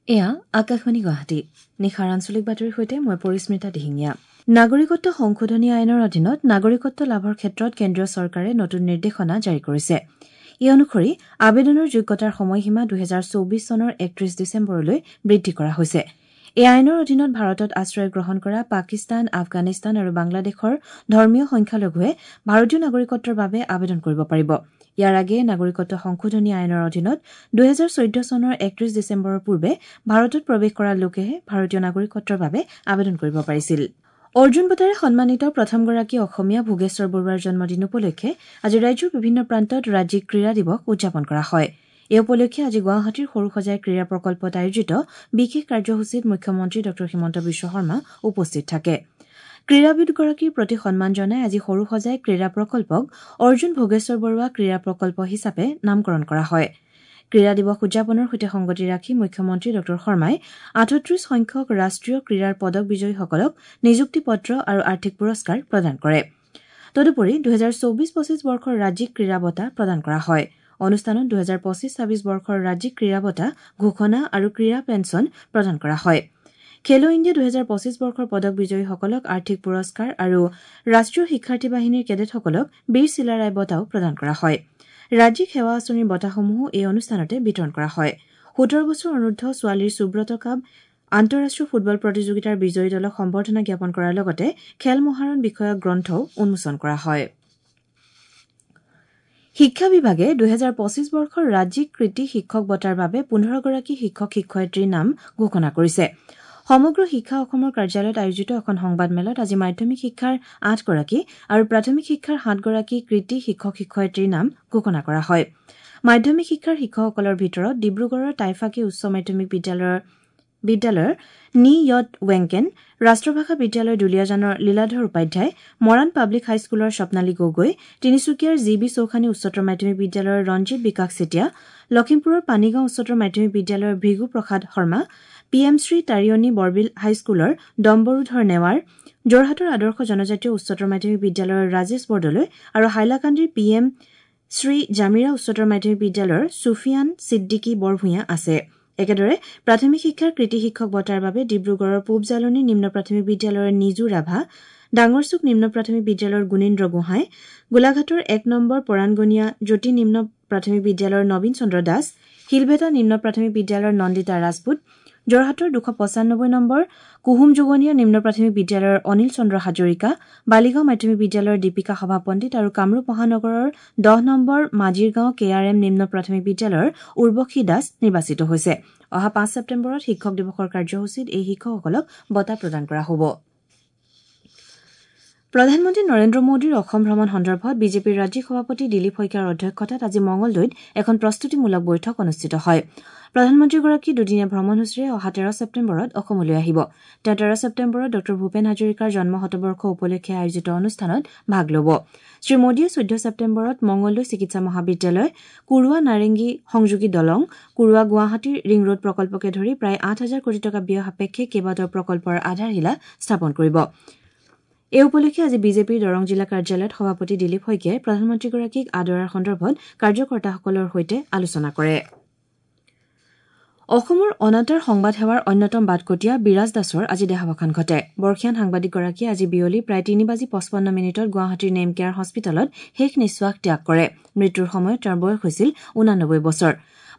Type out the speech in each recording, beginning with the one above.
এয়া আকাশবাণী গুৱাহাটী। নিশাৰ আঞ্চলিক বাতৰিৰ সৈতে মই পৰিস্মিতা দিহিঙীয়া। নাগৰিকত্ব সংশোধনী আইনৰ অধীনত নাগৰিকত্ব লাভৰ ক্ষেত্ৰত কেন্দ্ৰীয় চৰকাৰে নতুন নিৰ্দেশনা জাৰি কৰিছে। এই অনুসৰি আবেদনৰ যোগ্যতাৰ সময়সীমা ২০২৪ চনৰ ৩১ ডিচেম্বৰলৈ বৃদ্ধি কৰা হৈছে। এই আইনৰ অধীনত ভাৰতত আশ্ৰয় গ্ৰহণ কৰা পাকিস্তান, আফগানিস্তান আৰু বাংলাদেশৰ ধৰ্মীয় সংখ্যালঘুৱে ভাৰতীয় নাগৰিকত্বৰ বাবে আবেদন কৰিব পাৰিব। ইয়াৰ আগেয়ে নাগৰিকত্ব সংশোধনী আইনৰ অধীনত ২০১৪ চনৰ ৩১ ডিচেম্বৰৰ পূৰ্বে ভাৰতত প্ৰৱেশ কৰা লোকেহে ভাৰতীয় নাগৰিকত্বৰ বাবে আবেদন কৰিব পাৰিছিল। অৰ্জুন বঁটাৰে সন্মানিত প্ৰথমগৰাকী অসমীয়া ভোগেশ্বৰ বৰুৱাৰ জন্মদিন উপলক্ষে আজি ৰাজ্যৰ বিভিন্ন প্ৰান্তত ৰাজ্যিক ক্ৰীড়া দিৱস উদযাপন কৰা হয়। এই উপলক্ষে আজি গুৱাহাটীৰ সৰুসজাই ক্ৰীড়া প্ৰকল্পত আয়োজিত বিশেষ কাৰ্যসূচীত মুখ্যমন্ত্ৰী ড হিমন্ত বিশ্ব শৰ্মা উপস্থিত থাকে। ক্ৰীড়াবিদগৰাকীৰ প্ৰতি সন্মান জনাই আজি সৰুসজাই ক্ৰীড়া প্ৰকল্পক অৰ্জুন ভোগেশ্বৰ বৰুৱা ক্ৰীড়া প্ৰকল্প হিচাপে নামকৰণ কৰা হয়। ক্ৰীড়া দিৱস উদযাপনৰ সৈতে সংগতি ৰাখি মুখ্যমন্ত্ৰী ড শৰ্মাই ৩৮ সংখ্যক ৰাষ্ট্ৰীয় ক্ৰীড়াৰ পদক বিজয়ীসকলক নিযুক্তি পত্ৰ আৰু আৰ্থিক পুৰস্কাৰ প্ৰদান কৰে। তদুপৰি ২০২৪-২৫ বৰ্ষৰ ৰাজ্যিক ক্ৰীড়া বঁটা প্ৰদান কৰা হয়। অনুষ্ঠানত ২০২৫-২৬ বৰ্ষৰ ৰাজ্যিক ক্ৰীড়া বঁটা ঘোষণা আৰু ক্ৰীড়া পেঞ্চন প্ৰদান কৰা হয়। খেলো ইণ্ডিয়া ২০২৫ বৰ্ষৰ পদক বিজয়ীসকলক আৰ্থিক পুৰস্কাৰ আৰু ৰাষ্ট্ৰীয় শিক্ষাৰ্থী বাহিনীৰ কেডেটসকলক বীৰ চিলাৰায় বঁটাও প্ৰদান কৰা হয়। ৰাজ্যিক সেৱা আঁচনিৰ বঁটাসমূহো এই অনুষ্ঠানতে বিতৰণ কৰা হয়। ১৭ বছৰ অনুৰ্ধ ছোৱালীৰ সুব্ৰত কাপ আন্তঃৰাষ্ট্ৰীয় ফুটবল প্ৰতিযোগিতাৰ বিজয়ী দলক সম্বৰ্ধনা জ্ঞাপন কৰাৰ লগতে খেল মহাৰণ বিষয়ক গ্ৰন্থও উন্মোচন কৰা হয়। শিক্ষা বিভাগে ২০২৫ বৰ্ষৰ ৰাজ্যিক কৃতী শিক্ষক বঁটাৰ বাবে ১৫গৰাকী শিক্ষক শিক্ষয়িত্ৰীৰ নাম ঘোষণা কৰিছে। সমগ্ৰ শিক্ষা অসমৰ কাৰ্যালয়ত আয়োজিত এখন সংবাদমেলত আজি মাধ্যমিক শিক্ষাৰ ৮গৰাকী আৰু প্ৰাথমিক শিক্ষাৰ ৭গৰাকী কৃতী শিক্ষক শিক্ষয়িত্ৰীৰ নাম ঘোষণা কৰা হয়। মাধ্যমিক শিক্ষাৰ শিক্ষকসকলৰ ভিতৰত ডিব্ৰুগড়ৰ টাইফাকী উচ্চ মাধ্যমিক বিদ্যালয়ৰ নি য়ট ৱেংকেন, ৰাষ্ট্ৰভাষা বিদ্যালয় দুলীয়াজানৰ লীলাধৰ উপাধ্যায়, মৰাণ পাব্লিক হাইস্কুলৰ স্বপ্নালী গগৈ, তিনিচুকীয়াৰ জি বি চৌখানী উচ্চতৰ মাধ্যমিক বিদ্যালয়ৰ ৰঞ্জিত বিকাশ চেতিয়া, লখিমপুৰৰ পানীগাঁও উচ্চতৰ মাধ্যমিক বিদ্যালয়ৰ ভৃগু প্ৰসাদ শৰ্মা, পি এম শ্ৰী তাৰিয়নী বৰবিল হাইস্কুলৰ ডম্বৰুধৰ নেৱাৰ, যোৰহাটৰ আদৰ্শ জনজাতীয় উচ্চতৰ মাধ্যমিক বিদ্যালয়ৰ ৰাজেশ বৰদলৈ আৰু হাইলাকান্দিৰ পি এম শ্ৰী জামিৰা উচ্চতৰ মাধ্যমিক বিদ্যালয়ৰ ছুফিয়ান ছিদ্দিকী বৰভূঞা আছে। একেদৰে প্ৰাথমিক শিক্ষাৰ কৃতী শিক্ষক বঁটাৰ বাবে ডিব্ৰুগড়ৰ পূব জালনী নিম্ন প্ৰাথমিক বিদ্যালয়ৰ নিজু ৰাভা, ডাঙৰচুক নিম্ন প্ৰাথমিক বিদ্যালয়ৰ গুণেন্দ্ৰ গোহাঁই, গোলাঘাটৰ ১ নম্বৰ পৰাণগণীয়া জ্যোতি নিম্ন প্ৰাথমিক বিদ্যালয়ৰ নবীন চন্দ্ৰ দাস, শিলভেটা নিম্ন প্ৰাথমিক বিদ্যালয়ৰ নন্দিতা ৰাজপুত, যোৰহাটৰ ২৯৫ নম্বৰ কুহুম যোগনীয়া নিম্ন প্ৰাথমিক বিদ্যালয়ৰ অনিল চন্দ্ৰ হাজৰিকা, বালিগাঁও মাধ্যমিক বিদ্যালয়ৰ দীপিকা সভাপণ্ডিত আৰু কামৰূপ মহানগৰৰ ১০ নম্বৰ মাজিৰগাঁও কে আৰ এম নিম্ন প্ৰাথমিক বিদ্যালয়ৰ উৰ্বশী দাস নিৰ্বাচিত হৈছে। অহা ৫ ছেপ্টেম্বৰত শিক্ষক দিৱসৰ কাৰ্যসূচীত এই শিক্ষকসকলক বঁটা প্ৰদান কৰা হ'ব। প্ৰধানমন্ত্ৰী নৰেন্দ্ৰ মোদীৰ অসম ভ্ৰমণ সন্দৰ্ভত বিজেপিৰ ৰাজ্যিক সভাপতি দিলীপ শইকীয়াৰ অধ্যক্ষতাত আজি মঙলদৈত এখন প্ৰস্তুতিমূলক বৈঠক অনুষ্ঠিত হয়। প্ৰধানমন্ত্ৰীগৰাকী দুদিনীয়া ভ্ৰমণসূচীৰে অহা ১৩ ছেপ্টেম্বৰত অসমলৈ আহিব। তেওঁ ১৩ ছেপ্টেম্বৰত ড ভূপেন হাজৰিকাৰ জন্ম শতবৰ্ষ উপলক্ষে আয়োজিত অনুষ্ঠানত ভাগ ল'ব। শ্ৰীমোদীয়ে ১৪ ছেপ্টেম্বৰত মঙলদৈ চিকিৎসা মহাবিদ্যালয়, কুৰুৱা নাৰেংগী সংযোগী দলং, কুৰুৱা গুৱাহাটী ৰিং ৰোড প্ৰকল্পকে ধৰি প্ৰায় ৮ হাজাৰ কোটি টকা ব্যয় সাপেক্ষে কেইবাটাও প্ৰকল্পৰ আধাৰশিলা স্থাপন কৰিব। এই উপলক্ষে আজি বিজেপিৰ দৰং জিলা কাৰ্যালয়ত সভাপতি দিলীপ শইকীয়াই প্ৰধানমন্ত্ৰীগৰাকীক আদৰাৰ সন্দৰ্ভত কাৰ্যকৰ্তাসকলৰ সৈতে আলোচনা কৰে। অসমৰ অনাতাঁৰ সংবাদ সেৱাৰ অন্যতম বাটকটীয়া বিৰাজ দাসৰ আজি দেহাৱসান ঘটে। বৰ্ষীয়ান সাংবাদিকগৰাকীয়ে আজি বিয়লি প্ৰায় ৩:৫৫ গুৱাহাটীৰ নেমকেয়াৰ হস্পিটেলত শেষ নিশ্বাস ত্যাগ কৰে। মৃত্যুৰ সময়ত তেওঁৰ বয়স হৈছিল ৮৯ বছৰ।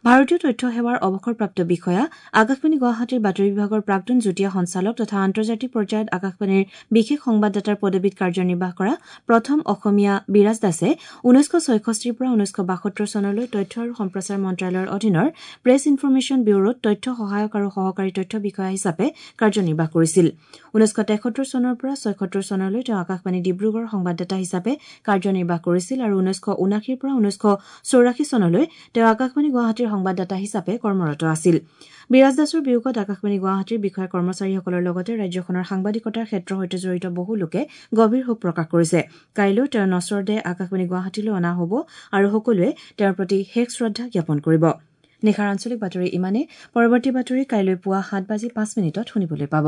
ভাৰতীয় তথ্য সেৱাৰ অৱসৰপ্ৰাপ্ত বিষয়া, আকাশবাণী গুৱাহাটীৰ বাতৰি বিভাগৰ প্ৰাক্তন যুটীয়া সঞ্চালক তথা আন্তৰ্জাতিক পৰ্যায়ত আকাশবাণীৰ বিশেষ সংবাদদাতাৰ পদবীত কাৰ্যনিৰ্বাহ কৰা প্ৰথম অসমীয়া বিৰাজ দাসে ১৯৬৬ৰ পৰা ১৯৭২ চনলৈ তথ্য আৰু সম্প্ৰচাৰ মন্ত্ৰালয়ৰ অধীনৰ প্ৰেছ ইনফৰমেশ্যন ব্যুৰোত তথ্য সহায়ক আৰু সহকাৰী তথ্য বিষয়া হিচাপে কাৰ্যনিৰ্বাহ কৰিছিল। ১৯৭৩ চনৰ পৰা ৭৬ চনলৈ তেওঁ আকাশবাণী ডিব্ৰুগড়ৰ সংবাদদাতা হিচাপে কাৰ্যনিৰ্বাহ কৰিছিল আৰু ১৯৭৯ৰ পৰা ১৯৮৪ চনলৈ তেওঁ আকাশবাণী গুৱাহাটীৰ সংবাদদাতা হিচাপে কৰ্মৰত আছিল। বিৰাজ দাসৰ বিয়োগত আকাশবাণী গুৱাহাটীৰ বিষয়া কৰ্মচাৰীসকলৰ লগতে ৰাজ্যখনৰ সাংবাদিকতাৰ ক্ষেত্ৰৰ সৈতে জড়িত বহু লোকে গভীৰ শোক প্ৰকাশ কৰিছে। কাইলৈ তেওঁৰ নশ্বৰ দেহ আকাশবাণী গুৱাহাটীলৈ অনা হ'ব আৰু সকলোৱে তেওঁৰ প্ৰতি শেষ শ্ৰদ্ধা জ্ঞাপন কৰিব। নিশাৰ আঞ্চলিক বাতৰি ইমানেই। পৰৱৰ্তী বাতৰি কাইলৈ পুৱা ৭:০৫ শুনিবলৈ পাব।